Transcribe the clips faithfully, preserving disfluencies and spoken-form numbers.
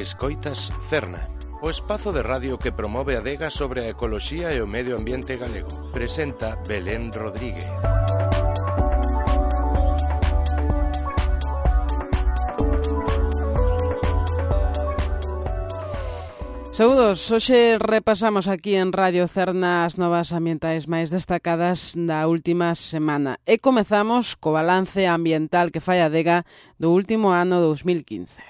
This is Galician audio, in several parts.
Escoitas Cerna, o espazo de radio que promove a adega sobre a ecoloxía e o medio ambiente galego. Presenta Belén Rodríguez. Saúdos, hoxe repasamos aquí en Radio Cerna as novas ambientais máis destacadas da última semana e comezamos co balance ambiental que fai a adega do último ano dous mil quince.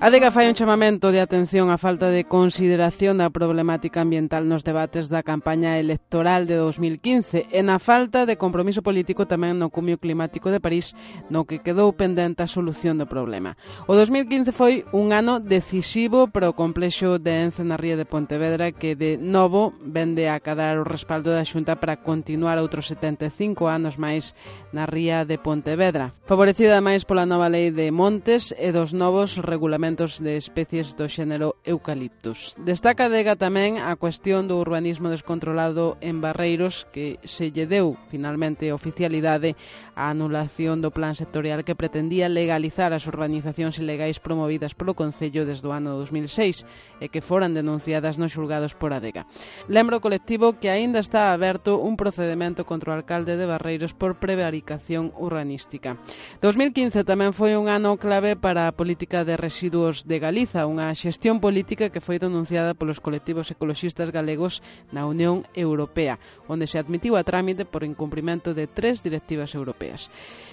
A adega fai un chamamento de atención á falta de consideración da problemática ambiental nos debates da campaña electoral de dous mil quince e na falta de compromiso político tamén no Cumio Climático de París, no que quedou pendente a solución do problema. O dous mil quince foi un ano decisivo para o complexo de Ence na ría de Pontevedra, que de novo vende a cadar o respaldo da Xunta para continuar outros setenta e cinco anos máis na ría de Pontevedra, favorecida máis pola nova lei de montes e dos novos regulamentos de especies do xénero Eucaliptus. Destaca a adega tamén a cuestión do urbanismo descontrolado en Barreiros, que se lle deu finalmente oficialidade á anulación do plan sectorial que pretendía legalizar as urbanizacións ilegais promovidas polo Concello desde o ano dos mil seis e que foran denunciadas nos xulgados por adega. Lembro o colectivo que aínda está aberto un procedimento contra o alcalde de Barreiros por prevaricación urbanística. dous mil quince tamén foi un ano clave para a política de residuos de Galiza, unha xestión política que foi denunciada polos colectivos ecoloxistas galegos na Unión Europea, onde se admitiu a trámite por incumprimento de tres directivas europeas.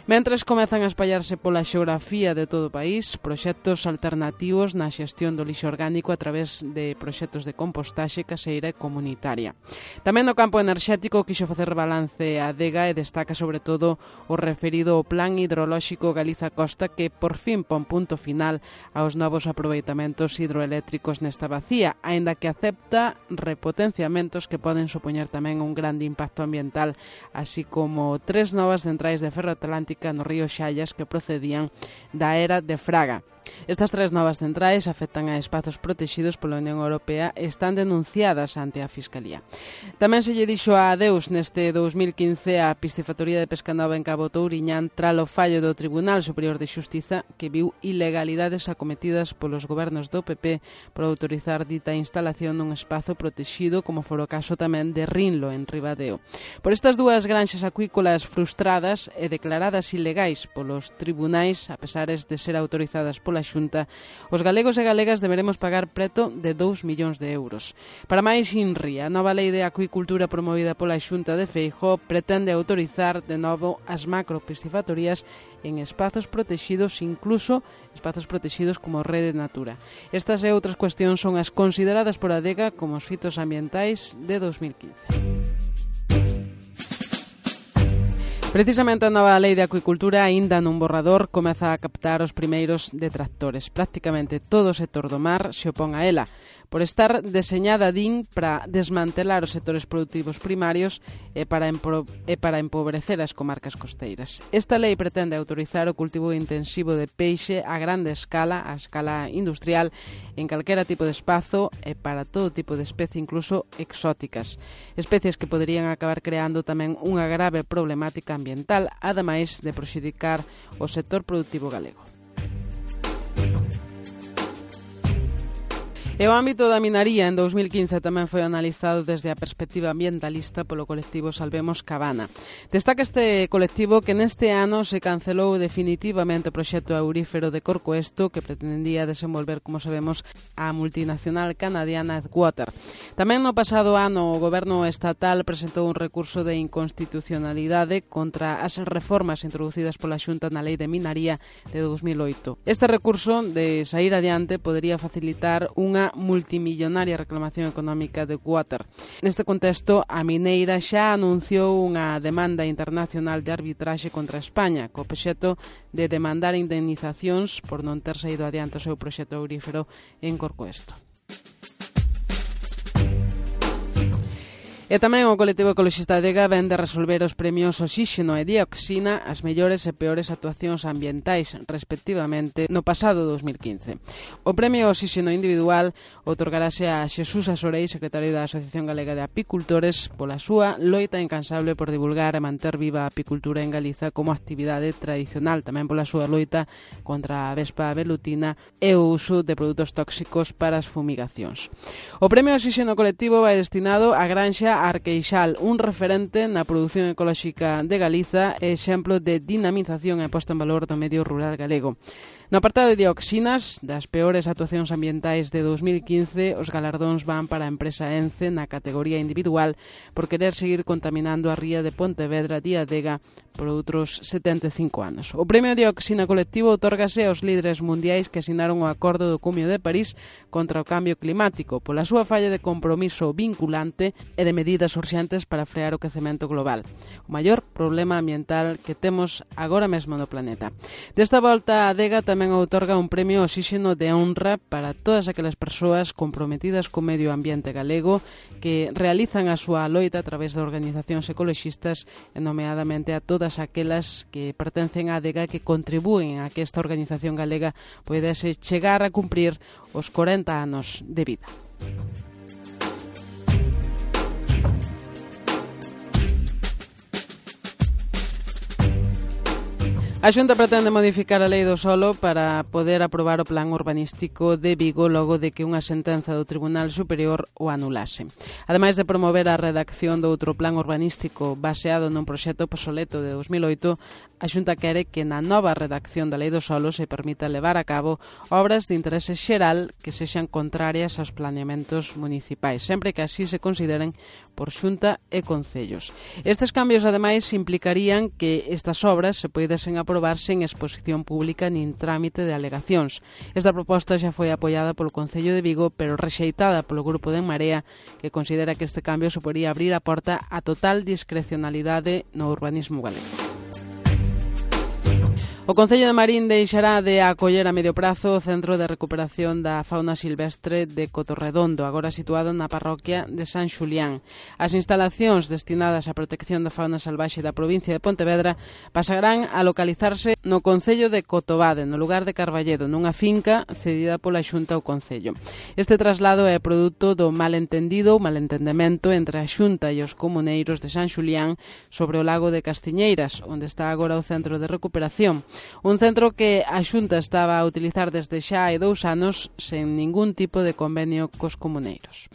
Mentres comezan a espallarse pola xeografía de todo o país proxectos alternativos na xestión do lixo orgánico a través de proxectos de compostaxe caseira e comunitaria. Tamén no campo enerxético quixo facer balance a adega e destaca sobre todo o referido ao Plan Hidrolóxico Galiza Costa, que por fin pon punto final aos novos aproveitamentos hidroeléctricos nesta bacía, aínda que acepta repotenciamentos que poden supoñer tamén un grande impacto ambiental, así como tres novas centrais de ferro atlántica no río Xallas que procedían da era de Fraga. Estas tres novas centrais afectan a espazos protexidos pola Unión Europea e están denunciadas ante a Fiscalía. Tamén se lle dixo a adeus neste dous mil quince a piscifactoría de Pescanova en Cabo Touriñán tralo fallo do Tribunal Superior de Xustiza que viu ilegalidades acometidas polos gobernos do P P por autorizar dita instalación nun espazo protexido, como for o caso tamén de Rinlo en Ribadeo. Por estas dúas granxas acuícolas frustradas e declaradas ilegais polos tribunais, a pesares de ser autorizadas pola Xunta, os galegos e galegas deberemos pagar preto de dous millóns de euros. Para máis Inri, a nova lei de acuicultura promovida pola Xunta de Feijóo pretende autorizar de novo as macropiscifactorías en espazos protexidos, incluso espazos protexidos como Rede Natura. Estas e outras cuestións son as consideradas por a adega como os fitos ambientais de dous mil quince. Precisamente a nova lei de acuicultura, aínda nun borrador, comeza a captar os primeiros detractores. Prácticamente todo o sector do mar se opón a ela, por estar deseñada, din, para desmantelar os sectores productivos primarios e para, empro- e para empobrecer as comarcas costeiras. Esta lei pretende autorizar o cultivo intensivo de peixe a grande escala, a escala industrial, en calquera tipo de espazo e para todo tipo de especie, incluso exóticas. Especies que poderían acabar creando tamén unha grave problemática ambiental, ademais de prexudicar o sector productivo galego. E o ámbito da minaría en dous mil quince tamén foi analizado desde a perspectiva ambientalista polo colectivo Salvemos Cabana. Destaca este colectivo que neste ano se cancelou definitivamente o proxecto aurífero de Corcoesto que pretendía desenvolver, como sabemos, a multinacional canadiana Edgewater. Tamén no pasado ano o goberno estatal presentou un recurso de inconstitucionalidade contra as reformas introducidas pola Xunta na Lei de Minaría de dous mil oito. Este recurso, de saír adiante, podería facilitar unha multimillonaria reclamación económica de Water. Neste contexto, a mineira xa anunciou unha demanda internacional de arbitraxe contra España, co obxecto de demandar indemnizacións por non ter saído adiante o seu proxecto aurífero en Corcoesto. E tamén o colectivo ecoloxista Adega vén de resolver os premios Oxíxeno e Dioxina as mellores e peores actuacións ambientais, respectivamente, no pasado dos mil quince. O premio Oxíxeno individual outorgarase a Xesús Asorei, secretario da Asociación Galega de Apicultores, pola súa loita incansable por divulgar e manter viva a apicultura en Galiza como actividade tradicional, tamén pola súa loita contra a vespa velutina e o uso de produtos tóxicos para as fumigacións. O premio Oxíxeno colectivo vai destinado á granxa Arqueixal, un referente na produción ecolóxica de Galiza e exemplo de dinamización e posta en valor do medio rural galego. No apartado de dioxinas, das peores actuacións ambientais de dos mil quince, os galardóns van para a empresa Ence na categoría individual por querer seguir contaminando a ría de Pontevedra de Adega por outros setenta e cinco anos. O premio Dioxina colectivo otórgase aos líderes mundiais que asinaron o Acordo do Cumio de París contra o cambio climático pola súa falla de compromiso vinculante e de medidas urxentes para frear o quecemento global, o maior problema ambiental que temos agora mesmo no planeta. Desta volta, a Adega tamén tamén outorga un premio Oxíxeno de honra para todas aquelas persoas comprometidas co medio ambiente galego que realizan a súa loita a través de organizacións ecoloxistas e nomeadamente a todas aquelas que pertencen á Adega que contribúen a que esta organización galega poidese chegar a cumprir os corenta anos de vida. A Xunta pretende modificar a lei do solo para poder aprobar o plan urbanístico de Vigo logo de que unha sentenza do Tribunal Superior o anulase. Ademais de promover a redacción do outro plan urbanístico baseado nun proxecto obsoleto de dos mil oito, a Xunta quere que na nova redacción da lei do solo se permita levar a cabo obras de interese xeral que sexan contrarias aos planeamentos municipais, sempre que así se consideren por Xunta e Concellos. Estes cambios, ademais, implicarían que estas obras se poidesen aprobar sen exposición pública nin trámite de alegacións. Esta proposta xa foi apoiada polo Concello de Vigo, pero rexeitada polo Grupo de En Marea, que considera que este cambio suporía abrir a porta a total discrecionalidade no urbanismo galego. O Concello de Marín deixará de acoller a medio prazo o Centro de Recuperación da Fauna Silvestre de Cotorredondo, agora situado na parroquia de San Xulián. As instalacións destinadas á protección da fauna salvaxe da provincia de Pontevedra pasarán a localizarse no Concello de Cotobade, no lugar de Carballedo, nunha finca cedida pola Xunta ao Concello. Este traslado é produto do malentendido ou malentendemento entre a Xunta e os comuneiros de San Xulián sobre o lago de Castiñeiras, onde está agora o Centro de Recuperación. Un centro que a Xunta estaba a utilizar desde xa hai dous anos sen ningún tipo de convenio cos comuneiros.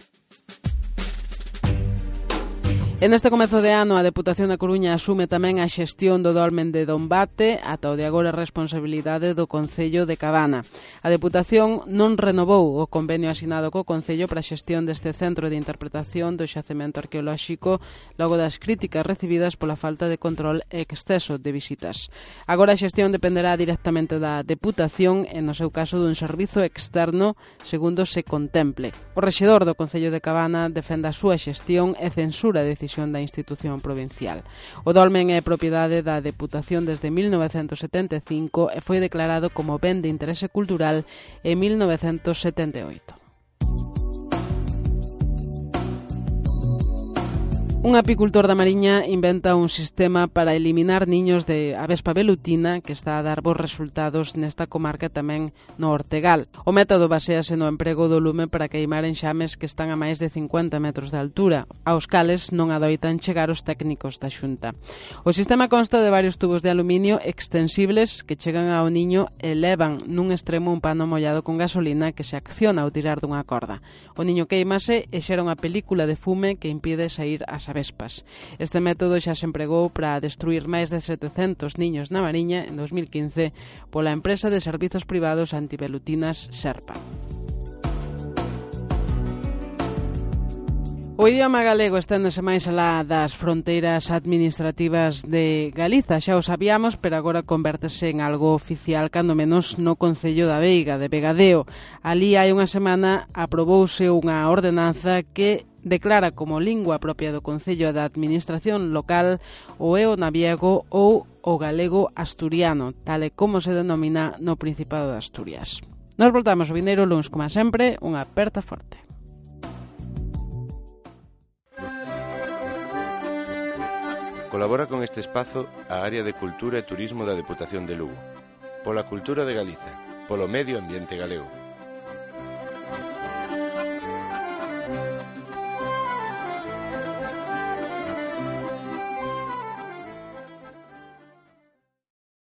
En este comezo de ano, a Deputación da Coruña asume tamén a xestión do dolmen de Dombate, ata o de agora responsabilidade do Concello de Cabana. A Deputación non renovou o convenio asinado co Concello para a xestión deste centro de interpretación do xacemento arqueolóxico logo das críticas recibidas pola falta de control e exceso de visitas. Agora a xestión dependerá directamente da Deputación e, no seu caso, dun servizo externo, segundo se contemple. O rexedor do Concello de Cabana defende a súa xestión e censura a decisión da institución provincial. O dolmen é propiedade da Deputación desde mil novecentos setenta e cinco e foi declarado como ben de interese cultural en mil novecentos setenta e oito. Un apicultor da Mariña inventa un sistema para eliminar niños de avespa velutina que está a dar bons resultados nesta comarca tamén no Ortegal. O método basease no emprego do lume para queimar enxames que están a máis de cincuenta metros de altura, aos cales non adoitan chegar os técnicos da Xunta. O sistema consta de varios tubos de aluminio extensibles que chegan ao niño e levan nun extremo un pano mollado con gasolina que se acciona ao tirar dunha corda. O niño queimase e xera unha película de fume que impide sair as vespas. Este método xa se empregou para destruir máis de setecentos niños na Mariña en dos mil quince pola empresa de servizos privados antivelutinas Serpa. O idioma galego esténdese máis alá das fronteiras administrativas de Galiza, xa o sabíamos, pero agora convértese en algo oficial, cando menos no Concello da Veiga, de Vegadeo. Alí hai unha semana aprobouse unha ordenanza que declara como lingua propia do Concello da Administración local o eonaviego ou o galego asturiano, tal e como se denomina no Principado de Asturias. Nos voltamos o vindeiro luns, como sempre, unha aperta forte. Colabora con este espazo a Área de Cultura e Turismo da Deputación de Lugo. Pola cultura de Galiza, polo medio ambiente galego.